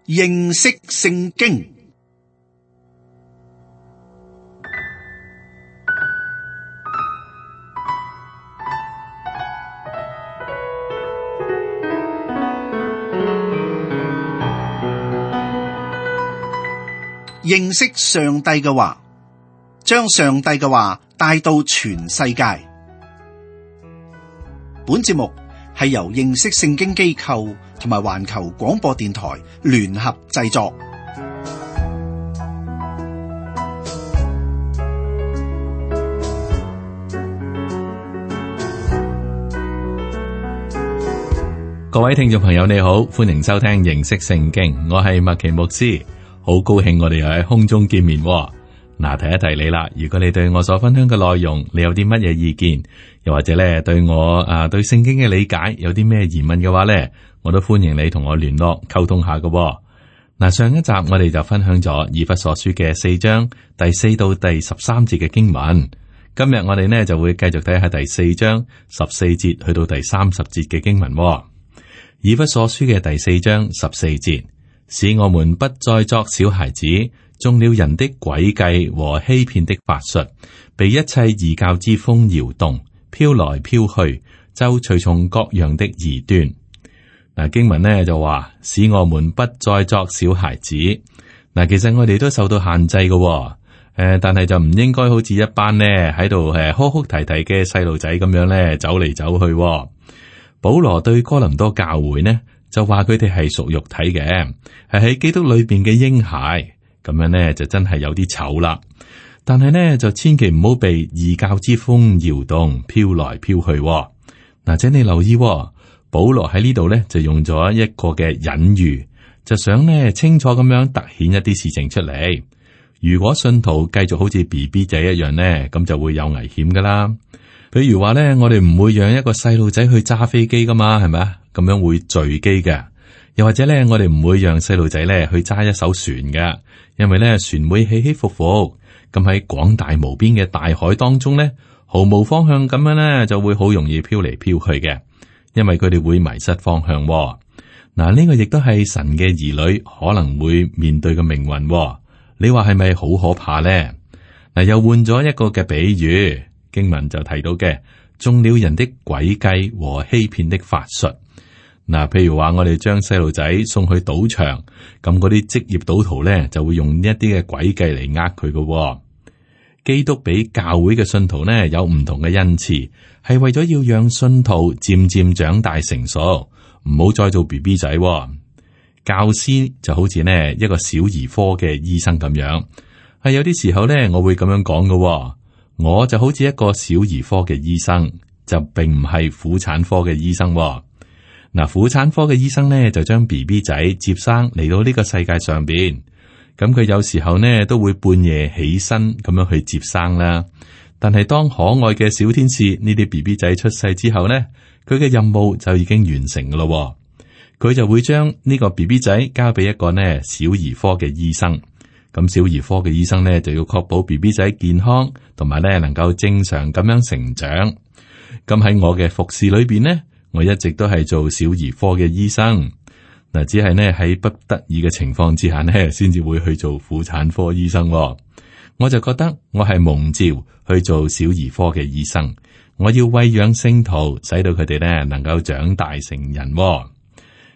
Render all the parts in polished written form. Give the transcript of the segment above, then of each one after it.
認識聖經。認識上帝嘅話，將上帝嘅話帶到全世界。本節目係由認識聖經機構同埋環球廣播電台聯合製作。各位聽眾朋友你好，歡迎收聽認識聖經，我係麥奇牧師。好高興我哋又喺空中見面。嗱，提一提你啦，如果你對我所分享嘅內容，你有啲乜嘢意見，又或者咧對我對聖經嘅理解有啲咩疑問嘅話咧，我都歡迎你同我聯絡溝通下㗎。嗱，上一集我哋就分享咗以弗所書嘅4章第4到第13節嘅經文，今日我哋呢就會繼續睇下第4章14節去到第30節嘅經文。以弗所書嘅第4章14節。使我們不再作小孩子，中了人的詭計和欺騙的法術，被一切異教之風搖動，飄來飄去，就隨從各樣的異端。嗱，經文呢就話，使我們不再作小孩子。嗱，其實我哋都受到限制嘅，但係就唔應該好似一班呢喺度哭哭啼啼嘅細路仔咁樣呢走嚟走去。保羅對哥林多教會呢，就話佢哋係屬肉體嘅，係喺基督裏邊嘅嬰孩，咁樣呢就真係有啲醜啦。但係呢就千祈唔好被異教之風搖動，飄來飄去。嗱，請你留意，保羅喺呢度呢就用咗一個嘅隱喻，就想呢清楚咁樣凸顯一啲事情出嚟。如果信徒繼續好似 BB 仔一樣呢，咁就會有危險噶啦。譬如話呢，我哋唔會讓一個細路仔去揸飛機噶嘛，係咪啊？咁樣會墜機嘅。又或者咧，我哋唔會讓細路仔咧去揸一艘船嘅，因為咧船會起起伏伏，咁喺廣大無邊嘅大海當中咧，毫無方向咁樣咧，就會好容易飄嚟飄去嘅，因為佢哋會迷失方向。嗱，呢個亦都係神嘅兒女可能會面對嘅命運。你話係咪好可怕咧？嗱，又換咗一個嘅比喻，經文就提到嘅，中了人的詭計和欺騙的法術。嗱，譬如話我哋將細路仔送去賭場，咁嗰啲職業賭徒咧就會用呢一啲嘅詭計嚟呃佢嘅。基督俾教會嘅信徒呢有唔同嘅恩賜，係為咗要讓信徒漸漸長大成熟，唔好再做 BB 仔。教師就好似呢一個小兒科嘅醫生咁樣，係有啲時候呢我會咁樣講嘅。我就好似一個小兒科嘅醫生，就並唔係婦產科嘅醫生。嗱，婦產科嘅醫生呢，就將 BB 仔接生嚟到呢個世界上邊，咁佢有時候呢都會半夜起身咁樣去接生啦。但係當可愛嘅小天使呢啲 BB 仔出世之後呢，佢嘅任務就已經完成噶咯。佢就會將呢個 BB 仔交俾一個呢小兒科嘅醫生，咁小兒科嘅醫生呢就要確保 BB 仔健康，同埋呢能夠正常咁樣成長。咁喺我嘅服侍裏邊呢，我一直都係做小兒科嘅醫生，嗱，只係呢喺不得已嘅情況之下呢，先至會去做婦產科醫生。我就覺得我係蒙召去做小兒科嘅醫生，我要餵養聖徒，使到佢哋呢能夠長大成人。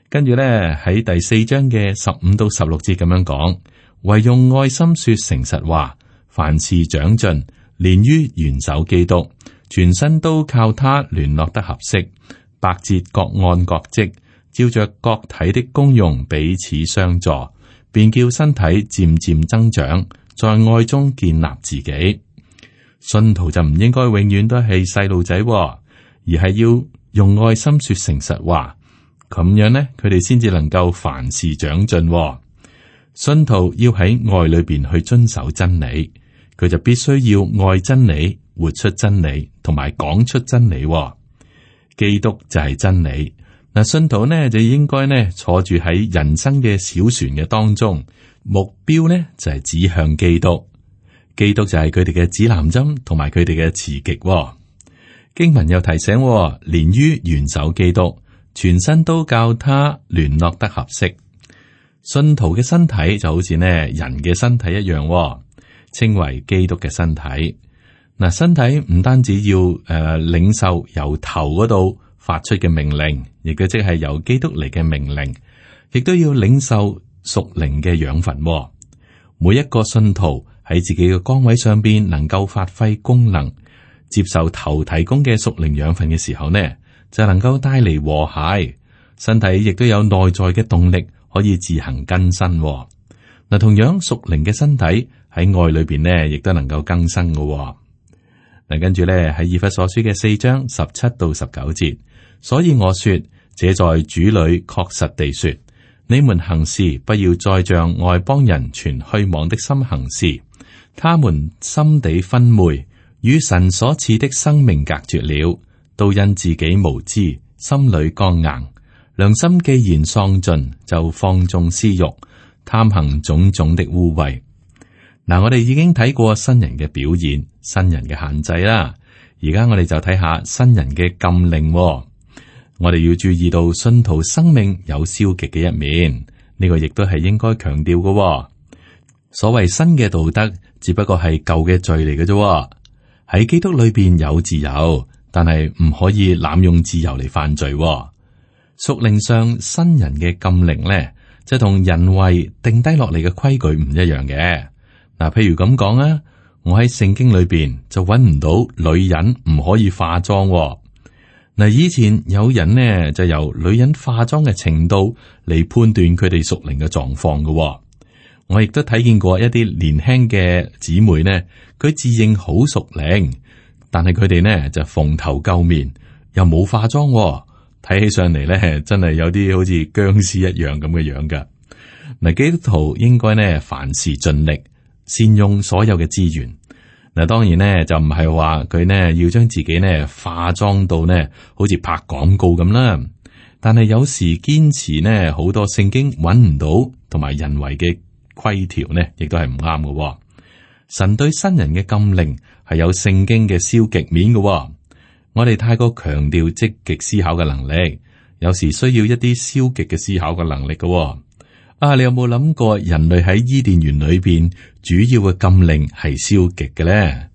跟住呢喺第4章嘅15到16節咁樣講，唯用愛心說誠實話，凡事長進，連於元首基督，全身都靠他聯絡得合適。百節各按各職，照着各體的功用彼此相助，便叫身體漸漸增長，在愛中建立自己。信徒就唔應該永遠都係細路仔，而係要用愛心說誠實話，咁樣呢，佢哋先至能夠凡事長進。信徒要喺愛裏邊去遵守真理，佢就必須要愛真理，活出真理，同埋講出真理。基督就係真理。嗱，信徒呢就應該呢坐住喺人生嘅小船嘅當中，目標呢就係指向基督。基督就係佢哋嘅指南針，同埋佢哋嘅磁極。經文又提醒，連於元首基督，全身都教他聯絡得合適。信徒嘅身體就好似呢人嘅身體一樣，稱為基督嘅身體。嗱，身體唔單止要領受由頭嗰度發出嘅命令，亦都即係由基督嚟嘅命令，亦都要領受屬靈嘅養分。每一個信徒喺自己嘅崗位上邊能夠發揮功能，接受頭提供嘅屬靈養分嘅時候呢，就能夠帶嚟和諧。身體亦都有內在嘅動力，可以自行更新。嗱，同樣屬靈嘅身體喺愛裏邊呢，亦都能夠更新嘅。嗱，跟住咧喺以弗所書嘅4章17到19節，所以我說，這在主裏確實地說，你們行事不要再像外邦人存虛妄的心行事，他們心地昏昧，與神所賜的生命隔絕了，都因自己無知，心裏剛硬，良心既然喪盡，就放縱私欲，貪行種種的污穢。嗱，我哋已經睇過新人嘅表現，新人嘅限制啦。而家我哋就睇下新人嘅禁令。我哋要注意到信徒生命有消極嘅一面，呢個亦都係應該強調嘅。所謂新嘅道德，只不過係舊嘅罪嚟嘅啫。喺基督裏邊有自由，但係唔可以濫用自由嚟犯罪。屬靈上新人嘅禁令咧，就同人為定低落嚟嘅規矩唔一樣嘅。嗱，譬如咁講啊，我喺聖經裏邊就揾唔到女人唔可以化妝。嗱，以前有人呢就由女人化妝嘅程度嚟判斷佢哋屬靈嘅狀況嘅。我亦都睇見過一啲年輕嘅姊妹呢，佢自認好屬靈，但係佢哋呢就蓬頭垢面，又冇化妝，睇起上嚟呢真係有啲好似僵屍一樣咁嘅樣噶。嗱，基督徒應該呢凡事盡力，善用所有嘅資源。嗱，當然呢就唔係話佢呢要將自己呢化妝到呢好似拍廣告咁啦。但係有時堅持呢好多聖經揾唔到同埋人為嘅規條呢，亦都係唔啱嘅。神對新人嘅禁令係有聖經嘅消極面嘅。我哋太過強調積極思考嘅能力，有時需要一啲消極嘅思考嘅能力嘅。你有冇諗過人類喺伊甸園裏邊主要嘅禁令係消極嘅咧？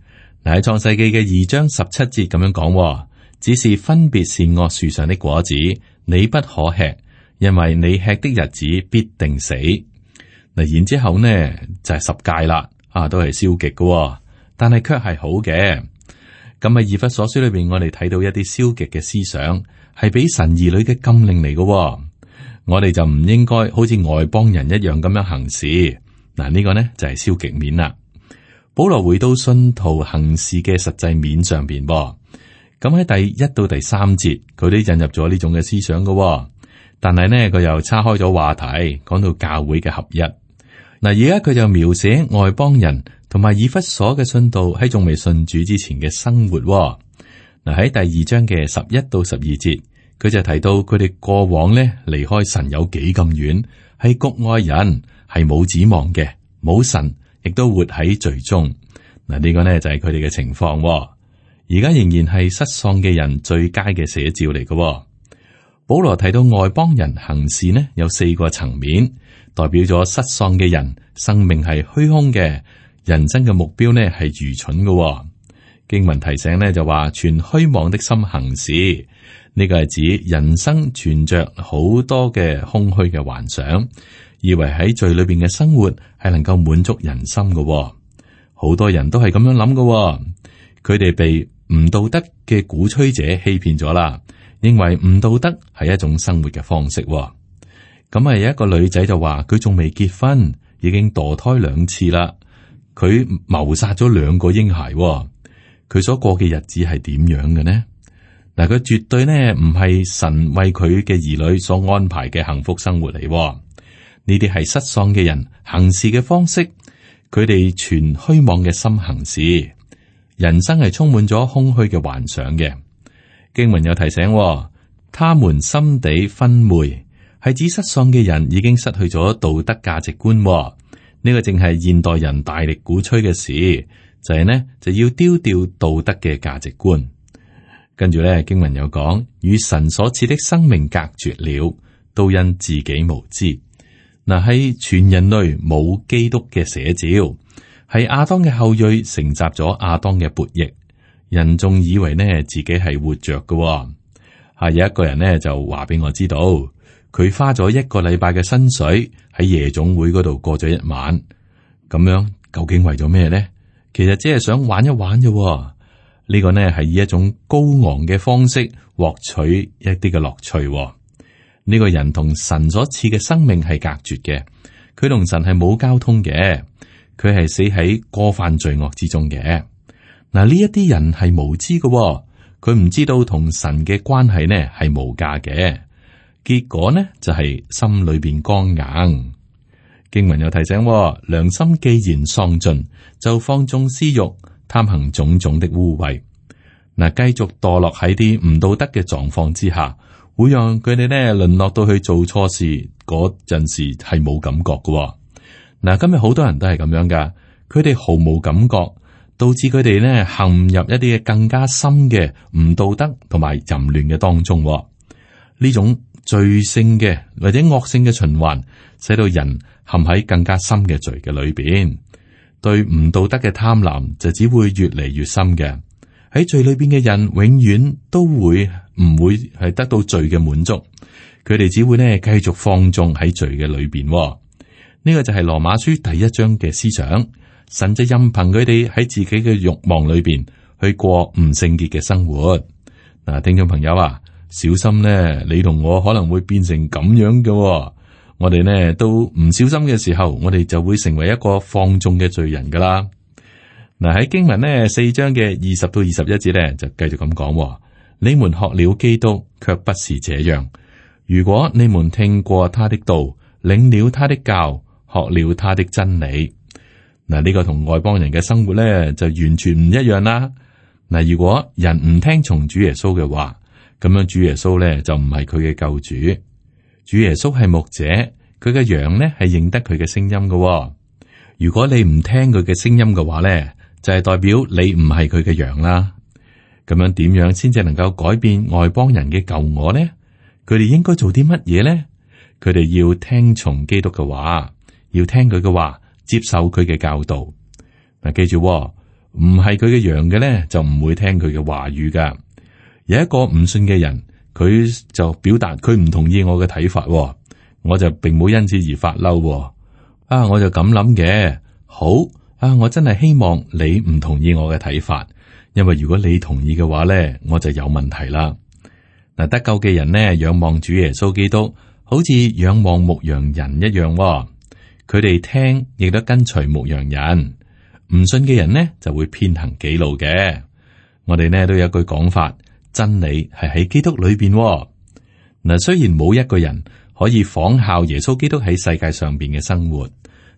嗱，喺創世記嘅2章17節咁樣講，只是分別善惡樹上的果子，你不可吃，因為你吃的日子必定死。嗱，然之後呢就係10誡啦，都係消極嘅，但係卻係好嘅。咁喺以弗所書裏邊，我哋睇到一啲消極嘅思想，係俾神兒女嘅禁令嚟嘅。我哋就唔應該好似外邦人一樣咁樣行事。嗱，呢個呢就係消極面啦。保羅回到信徒行事嘅實際面上邊，咁喺第1到第3節，佢都引入咗呢種嘅思想嘅。但係呢，佢又岔開咗話題，講到教會嘅合一。嗱，而家佢就描寫外邦人同埋以弗所嘅信徒喺仲未信主之前嘅生活。嗱，喺第2章嘅11到12節。佢就提到佢哋過往咧離開神有幾咁遠，係局外人，係冇指望嘅，冇神，亦都活喺罪中。嗱，呢個呢就係佢哋嘅情況。而家仍然係失喪嘅人最佳嘅寫照嚟嘅。保羅提到外邦人行事呢有4個層面，代表咗失喪嘅人生命係虛空嘅，人生嘅目標呢係愚蠢嘅。經文提醒呢就話存虛妄的心行事。呢個係指人生存着好多嘅空虛嘅幻想，以為喺罪裏邊嘅生活係能夠滿足人心嘅。好多人都係咁樣諗嘅，佢哋被唔道德嘅鼓吹者欺騙咗啦，認為唔道德係一種生活嘅方式。咁啊，有一個女仔就話佢仲未結婚，已經墮胎2次啦，佢謀殺咗2個嬰孩。佢所過嘅日子係點樣嘅呢？嗱，佢絕對呢唔係神為佢嘅兒女所安排嘅幸福生活嚟。呢啲係失喪嘅人行事嘅方式，佢哋存虛妄嘅心行事，人生係充滿咗空虛嘅幻想嘅。經文有提醒，他們心地昏昧，係指失喪嘅人已經失去咗道德價值觀。呢個正係現代人大力鼓吹嘅事，就係呢就要丟掉道德嘅價值觀。跟住咧，經文有講，與神所賜的生命隔絕了，都因自己無知。嗱，喺全人類冇基督嘅寫照，係亞當嘅後裔承襲咗亞當嘅悖逆，人仲以為呢自己係活着嘅。有一個人呢就話俾我知道，佢花咗1個禮拜嘅薪水喺夜總會嗰度過咗1晚，咁樣究竟為咗咩呢？其實只係想玩一玩啫。呢個呢係以一種高昂嘅方式獲取一啲嘅樂趣。呢個人同神所賜嘅生命係隔絕嘅，佢同神係冇交通嘅，佢係死喺過犯罪惡之中嘅。嗱，呢一啲人係無知嘅，佢唔知道同神嘅關係呢係無價嘅，結果呢就係心裏邊剛硬。經文有提醒，良心既然喪盡，就放縱私欲，貪行種種的污穢。嗱，繼續墮落喺啲唔道德嘅狀況之下，會讓佢哋呢淪落到去做錯事嗰陣時係冇感覺嘅。嗱，今日好多人都係咁樣噶，佢哋毫無感覺，導致佢哋呢陷入一啲更加深嘅唔道德同埋淫亂嘅當中。呢種罪性嘅或者惡性嘅循環，使到人陷喺更加深嘅罪嘅裏邊。對唔道德嘅貪婪就只會越嚟越深嘅。喺罪裏邊嘅人永遠都會唔會係得到罪嘅滿足，佢哋只會呢繼續放縱喺罪嘅裏邊。呢個就係羅馬書第1章嘅思想。神就任憑佢哋喺自己嘅慾望裏邊去過唔聖潔嘅生活。嗱，聽眾朋友啊，小心呢，你同我可能會變成咁樣嘅。我哋呢都唔小心嘅時候，我哋就會成為一個放縱嘅罪人噶啦。嗱，喺經文呢4章嘅20到21節呢，就繼續咁講：你們學了基督，卻不是這樣。如果你們聽過他的道，領了他的教，學了他的真理。嗱，呢個同外邦人嘅生活呢，就完全唔一樣啦。嗱，如果人唔聽從主耶穌嘅話，咁樣主耶穌呢，就唔係佢嘅救主。主耶穌係牧者，佢嘅羊呢係認得佢嘅聲音嘅。如果你唔聽佢嘅聲音嘅話呢，就係代表你唔係佢嘅羊啦。咁樣點樣先至能夠改變外邦人嘅舊我呢？佢哋應該做啲乜嘢呢？佢哋要聽從基督嘅話，要聽佢嘅話，接受佢嘅教導。嗱，記住，唔係佢嘅羊嘅呢，就唔會聽佢嘅話語噶。有一個唔信嘅人，佢就表達佢唔同意我嘅睇法，我就並冇因此而發嬲。我就咁諗嘅。好我真係希望你唔同意我嘅睇法，因為如果你同意嘅話咧，我就有問題啦。嗱，得救嘅人呢，仰望主耶穌基督，好似仰望牧羊人一樣。佢哋聽亦都跟隨牧羊人。唔信嘅人呢，就會偏行己路嘅。我哋呢都有一句講法，真理係喺基督裏邊。嗱，雖然冇一個人可以仿效耶穌基督喺世界上邊嘅生活，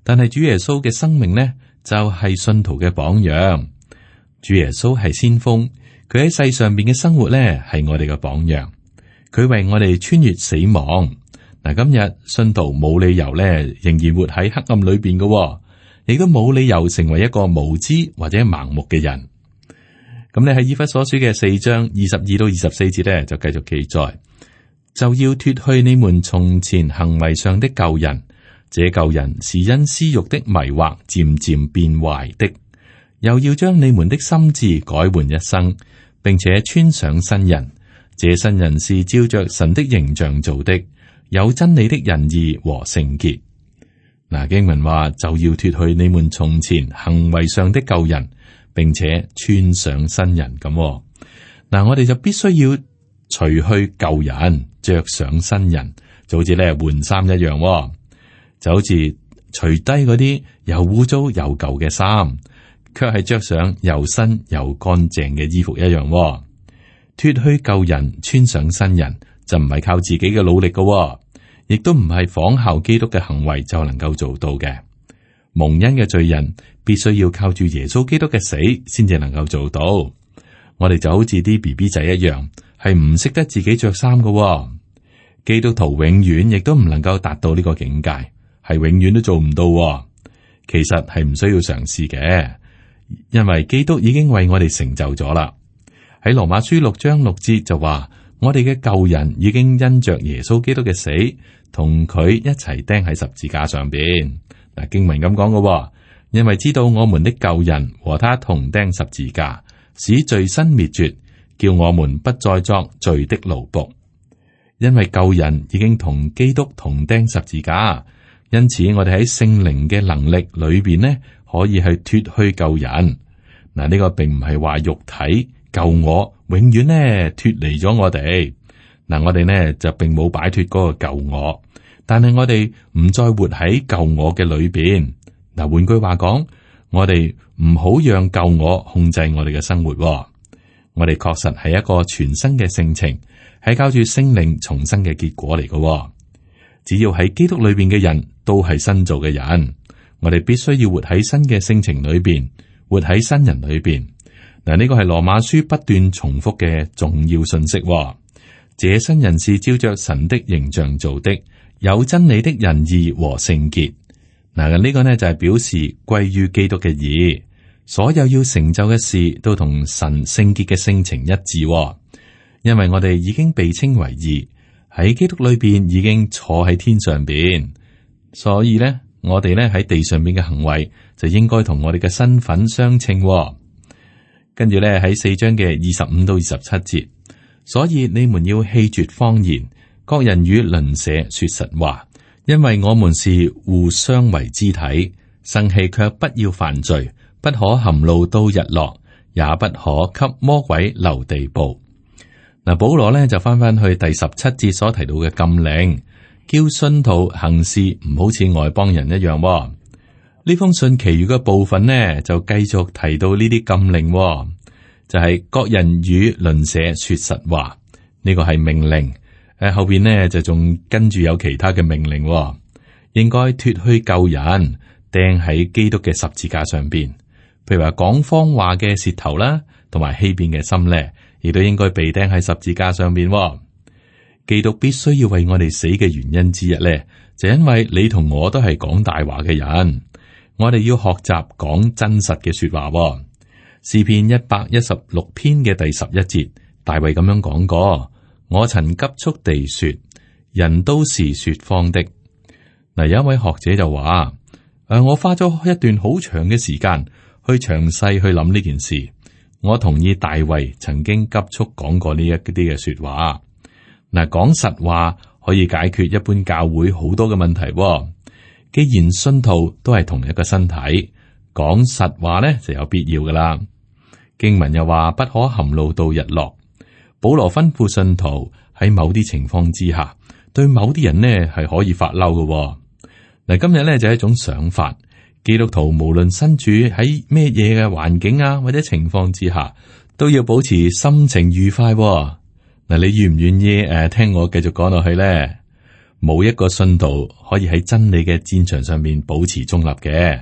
但係主耶穌嘅生命呢，就係信徒嘅榜樣。主耶穌係先鋒，佢喺世上邊嘅生活呢，係我哋嘅榜樣。佢為我哋穿越死亡。嗱，今日信徒冇理由呢，仍然活喺黑暗裏邊嘅，亦都冇理由成為一個無知或者盲目嘅人。咁你喺以弗所書嘅4章22到24節咧，就繼續記載，就要脫去你們從前行為上的舊人，這舊人是因私欲的迷惑漸漸變壞的，又要將你們的心志改換一生，並且穿上新人。這新人是照着神的形象做的，有真理的仁義和聖潔。嗱，經文話就要脫去你們從前行為上的舊人，並且穿上新人咁。嗱，我哋就必須要除去舊人，着上新人，就好似咧換衫一樣，就好似除低嗰啲又污糟又舊嘅衫，卻係着上又新又乾淨嘅衣服一樣。脫去舊人，穿上新人，就唔係靠自己嘅努力嘅，亦都唔係仿效基督嘅行為就能夠做到嘅。蒙恩嘅罪人必須要靠住耶穌基督嘅死，先至能夠做到。我哋就好似啲 BB 仔一樣，係唔識得自己着衫嘅。基督徒永遠亦都唔能夠達到呢個境界，係永遠都做唔到。其實係唔需要嘗試嘅，因為基督已經為我哋成就咗啦。喺羅馬書6章6節就話，我哋嘅舊人已經因着耶穌基督嘅死同佢一齊釘喺十字架上邊。嗱，經文咁講嘅，因為知道我們的舊人和他同釘十字架，使罪身滅絕，叫我們不再作罪的奴僕。因為舊人已經同基督同釘十字架，因此我哋喺聖靈嘅能力裏邊呢，可以去脫去舊人。嗱，呢個並唔係話肉體舊我永遠呢脫離咗我哋。嗱，我哋呢就並冇擺脫嗰個舊我，但係我哋唔再活喺舊我嘅裏邊。嗱，換句話講，我哋唔好讓舊我控制我哋嘅生活。我哋確實係一個全新嘅性情，係靠住聖靈重生嘅結果嚟嘅。只要喺基督裏邊嘅人都係新造嘅人，我哋必須要活喺新嘅性情裏邊，活喺新人裏邊。嗱，呢個係羅馬書不斷重複嘅重要信息。這新人是照着神的形象做的，有真理的仁義和聖潔。嗱，呢個呢就係表示歸於基督嘅義，所有要成就嘅事都同神聖潔嘅性情一致。因為我哋已經被稱為義，喺基督裏邊已經坐喺天上邊，所以呢，我哋呢喺地上邊嘅行為就應該同我哋嘅身份相稱。跟住呢喺4章嘅25到27節。所以你們要棄絕謊言，各人與鄰舍說實話，因為我們是互相為肢體。生氣卻不要犯罪，不可含怒到日落，也不可給魔鬼留地步。嗱，保羅呢就翻去第17節所提到嘅禁令，叫信徒行事唔好似外邦人一樣。呢封信其餘嘅部分呢就繼續提到呢啲禁令。就係各人與鄰舍說實話，呢個係命令。後邊呢就仲跟住有其他嘅命令，應該脫去舊人，釘喺基督嘅十字架上邊。譬如話講謊話嘅舌頭啦，同埋欺騙嘅心咧，亦都應該被釘喺十字架上邊。基督必須要為我哋死嘅原因之一咧，就因為你同我都係講大話嘅人，我哋要學習講真實嘅說話。詩篇116篇嘅第11節，大衛咁樣講過：我曾急速地說，人都是說謊的。嗱，有一位學者就話：我花咗一段好長嘅時間去詳細去諗呢件事。我同意大衛曾經急速講過呢一啲嘅說話。嗱，講實話可以解決一般教會好多嘅問題。既然信徒都係同一個身體，講實話呢就有必要噶啦。經文又話不可含怒到日落。保羅吩咐信徒喺某啲情況之下，對某啲人呢係可以發嬲嘅。嗱，今日呢就係一種想法，基督徒無論身處喺咩嘢嘅環境啊或者情況之下，都要保持心情愉快。嗱，你願唔願意聽我繼續講落去呢？冇一個信徒可以喺真理嘅戰場上面保持中立嘅，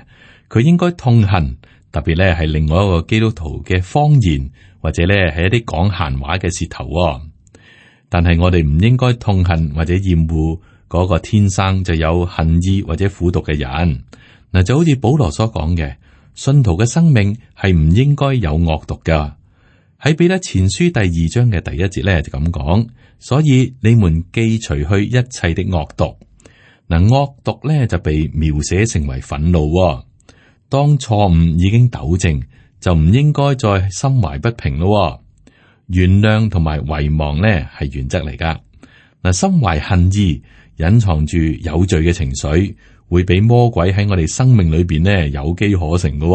佢應該痛恨。特別咧係另外一個基督徒嘅謊言，或者咧係一啲講閒話嘅舌頭。但係我哋唔應該痛恨或者厭惡嗰個天生就有恨意或者苦毒嘅人。嗱，就好似保羅所講嘅，信徒嘅生命係唔應該有惡毒噶。喺彼得前書第2章嘅第1節咧就咁講，所以你們既除去一切的惡毒。嗱，惡毒咧就被描寫成為憤怒。當錯誤已經糾正，就唔應該再心懷不平咯。原諒同埋遺忘呢係原則嚟噶。嗱，心懷恨意，隱藏住有罪嘅情緒，會俾魔鬼喺我哋生命裏邊呢有機可乘噶。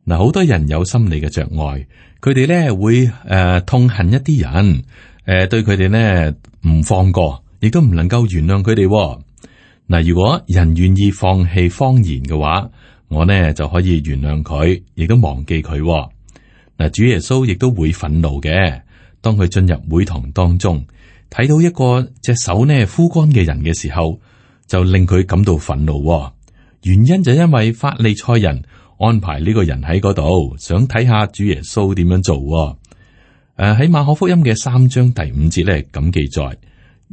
嗱，好多人有心理嘅障礙，佢哋呢會痛恨一啲人，對佢哋呢唔放過，亦都唔能夠原諒佢哋。嗱，如果人願意放棄謊言嘅話，我呢就可以原諒佢，亦都忘記佢。嗱，主耶穌亦都會憤怒嘅。當佢進入會堂當中，睇到一個隻手呢枯乾嘅人嘅時候，就令佢感到憤怒。原因就因為法利賽人安排呢個人喺嗰度，想睇下主耶穌點樣做。喺馬可福音嘅3章第5節咧咁記載，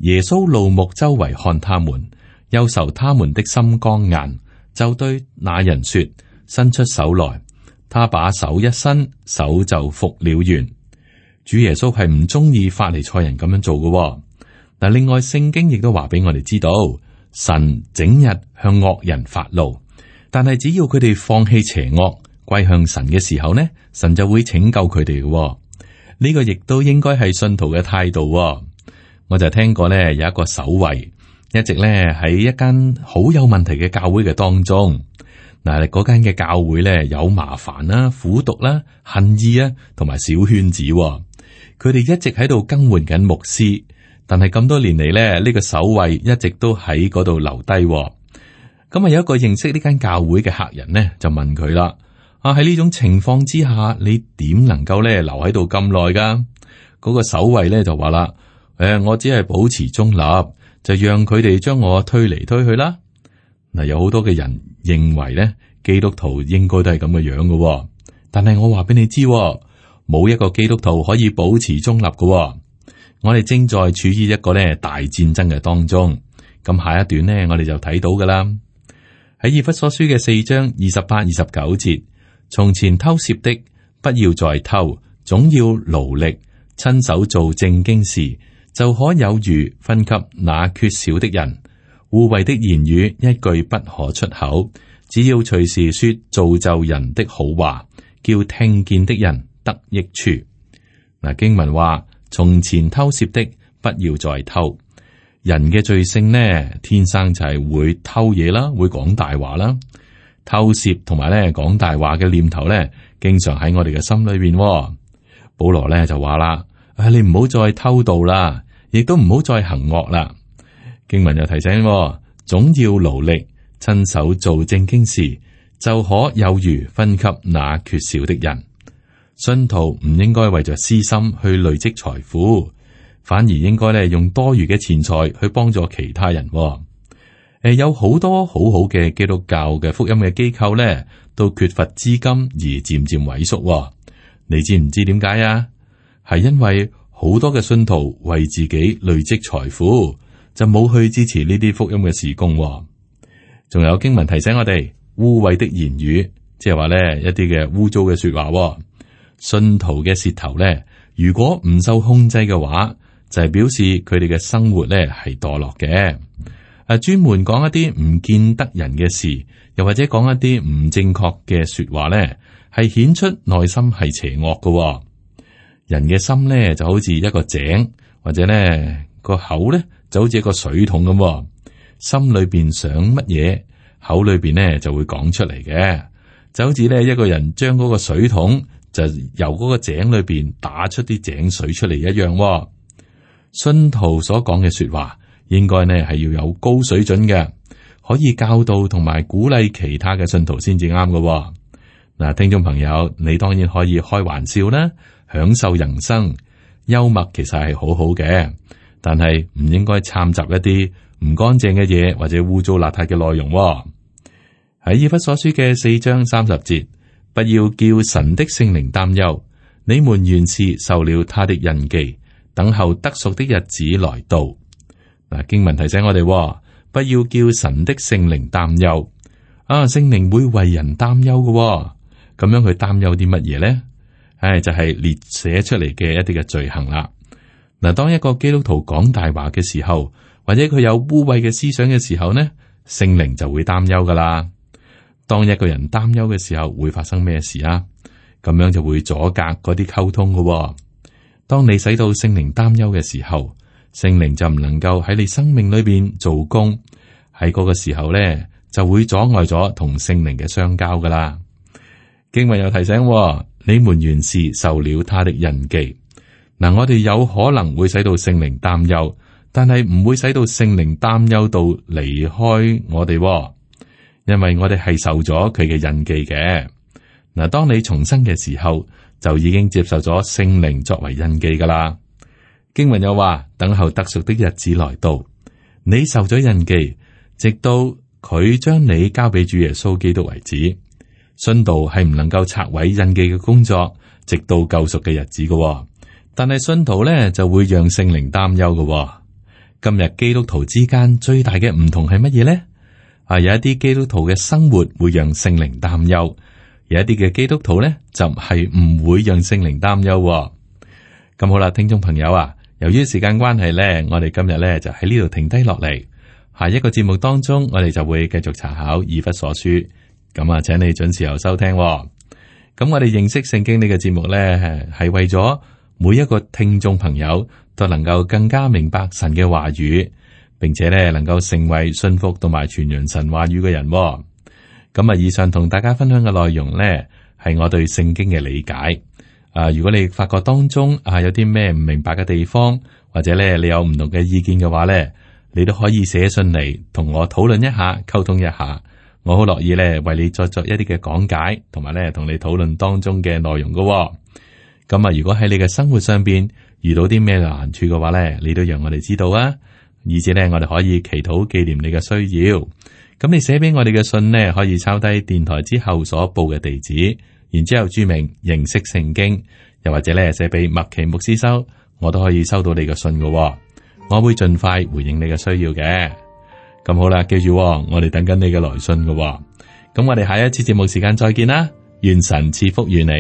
耶穌怒目周圍看他們，憂愁他們的心剛硬。就對那人說：伸出手來。他把手一伸，手就復了原。主耶穌係唔中意法利賽人咁樣做嘅。嗱，另外聖經亦都話俾我哋知道，神整日向惡人發怒，但係只要佢哋放棄邪惡，歸向神嘅時候呢，神就會拯救佢哋嘅。呢個亦都應該係信徒嘅態度。我就聽過呢，有一個守衛，一直呢喺一間好有問題嘅教會嘅當中。嗱，嗰間嘅教會呢，有麻煩啦、苦毒啦、恨意啊，同埋小圈子。佢哋一直喺度更換緊牧師，但係咁多年嚟呢，呢個守衛一直都喺嗰度留低。咁啊，有一個認識呢間教會嘅客人呢，就問佢啦：啊，喺呢種情況之下，你點能夠呢留喺度咁耐噶？嗰個守衛呢，就話啦：我只係保持中立，就讓佢哋將我推嚟推去啦。嗱，有好多嘅人認為咧，基督徒應該都係咁嘅樣嘅，但係我話俾你知，冇一個基督徒可以保持中立嘅。我哋正在處於一個咧大戰爭嘅當中。咁下一段呢，我哋就睇到噶啦。喺以弗所書嘅4章28、29節，從前偷竊的，不要再偷，總要勞力，親手做正經事，就可有餘分給那缺少的人。污穢的言語一句不可出口，只要隨時說造就人的好話，叫聽見的人得益處。嗱，經文話：從前偷竊的，不要再偷。人嘅罪性呢，天生就係會偷嘢啦，會講大話啦。偷竊同埋咧講大話嘅念頭咧，經常喺我哋嘅心裏邊。保羅咧就話啦：你唔好再偷盜啦，亦都唔好再行惡啦。經文又提醒，總要勞力，親手做正經事，就可有餘分給那缺少的人。信徒唔應該為着私心去累積財富，反而應該咧用多餘嘅錢財去幫助其他人。有好多好好嘅基督教嘅福音嘅機構咧，都缺乏資金而漸漸萎縮。你知唔知點解啊？係因為好多嘅信徒為自己累積財富，就冇去支持呢啲福音嘅事工。仲有經文提醒我哋，污穢的言語，即係話咧一啲嘅污糟嘅說話。信徒嘅舌頭咧，如果唔受控制嘅話，就係表示佢哋嘅生活咧係墮落嘅。專門講一啲唔見得人嘅事，又或者講一啲唔正確嘅說話咧，係顯出內心係邪惡嘅。人嘅心咧就好似一個井，或者咧個口咧就好似一個水桶咁，心裏邊想乜嘢，口裏邊咧就會講出嚟嘅。就好似咧一個人將嗰個水桶就由嗰個井裏邊打出啲井水出嚟一樣。信徒所講嘅說話，應該呢係要有高水準嘅，可以教導同埋鼓勵其他嘅信徒先至啱嘅。嗱，聽眾朋友，你當然可以開玩笑啦，享受人生，幽默其實係好好嘅，但係唔應該摻雜一啲唔乾淨嘅嘢或者污糟邋遢嘅內容。喺以弗所書嘅4章30節，不要叫神的聖靈擔憂，你們原是受了他的印記，等候得贖的日子來到。嗱，經文提醒我哋，不要叫神的聖靈擔憂。聖靈會為人擔憂嘅，咁樣佢擔憂啲乜嘢咧？就係列寫出嚟嘅一啲嘅罪行啦。嗱，當一個基督徒講大話嘅時候，或者佢有污穢嘅思想嘅時候呢，聖靈就會擔憂噶啦。當一個人擔憂嘅時候，會發生咩事啊？咁樣就會阻隔嗰啲溝通嘅。當你使到聖靈擔憂嘅時候，聖靈就唔能夠喺你生命裏邊做工，喺嗰個時候咧，就會阻礙咗同聖靈嘅相交噶啦。經文又提醒，你們原是受了他的印記。嗱，我哋有可能會使到聖靈擔憂，但係唔會使到聖靈擔憂到離開我哋，因為我哋係受咗佢嘅印記嘅。嗱，當你重生嘅時候，就已經接受咗聖靈作為印記噶啦。經文又話，等候得贖的日子來到，你受咗印記，直到佢將你交俾主耶穌基督為止。信徒係唔能夠拆毀印記嘅工作，直到救贖嘅日子嘅。但係信徒咧就會讓聖靈擔憂嘅。今日基督徒之間最大嘅唔同係乜嘢咧？有一啲基督徒嘅生活會讓聖靈擔憂，有一啲嘅基督徒咧就係唔會讓聖靈擔憂。咁好啦，聽眾朋友啊，由於時間關係呢，我哋今日呢就喺呢度停低落嚟。下一個節目當中，我哋就會繼續查考以弗所書。咁啊，請你準時又收聽。咁我哋認識聖經呢個節目呢，係為咗每一個聽眾朋友都能夠更加明白神嘅話語，並且呢能夠成為信服同埋傳揚神話語嘅人。咁啊，以上同大家分享嘅內容呢，係我對聖經嘅理解。如果你發覺當中有啲咩唔明白嘅地方，或者咧你有唔同嘅意見嘅話咧，你都可以寫信嚟同我討論一下，溝通一下。我好樂意咧為你再作一啲嘅講解，同埋咧同你討論當中嘅內容㗎。咁啊，如果喺你嘅生活上邊遇到啲咩難處嘅話咧，你都讓我哋知道啊，以至咧我哋可以祈禱紀念你嘅需要。咁你寫俾我哋嘅信呢，可以抄低電台之後所報嘅地址。然之後注明認識聖經，又或者咧寫俾麥奇牧師收，我都可以收到你嘅信嘅。我會盡快回應你嘅需要嘅。咁好啦，記住，我哋等緊你嘅來信嘅。咁我哋下一次節目時間再見啦，願神賜福於你。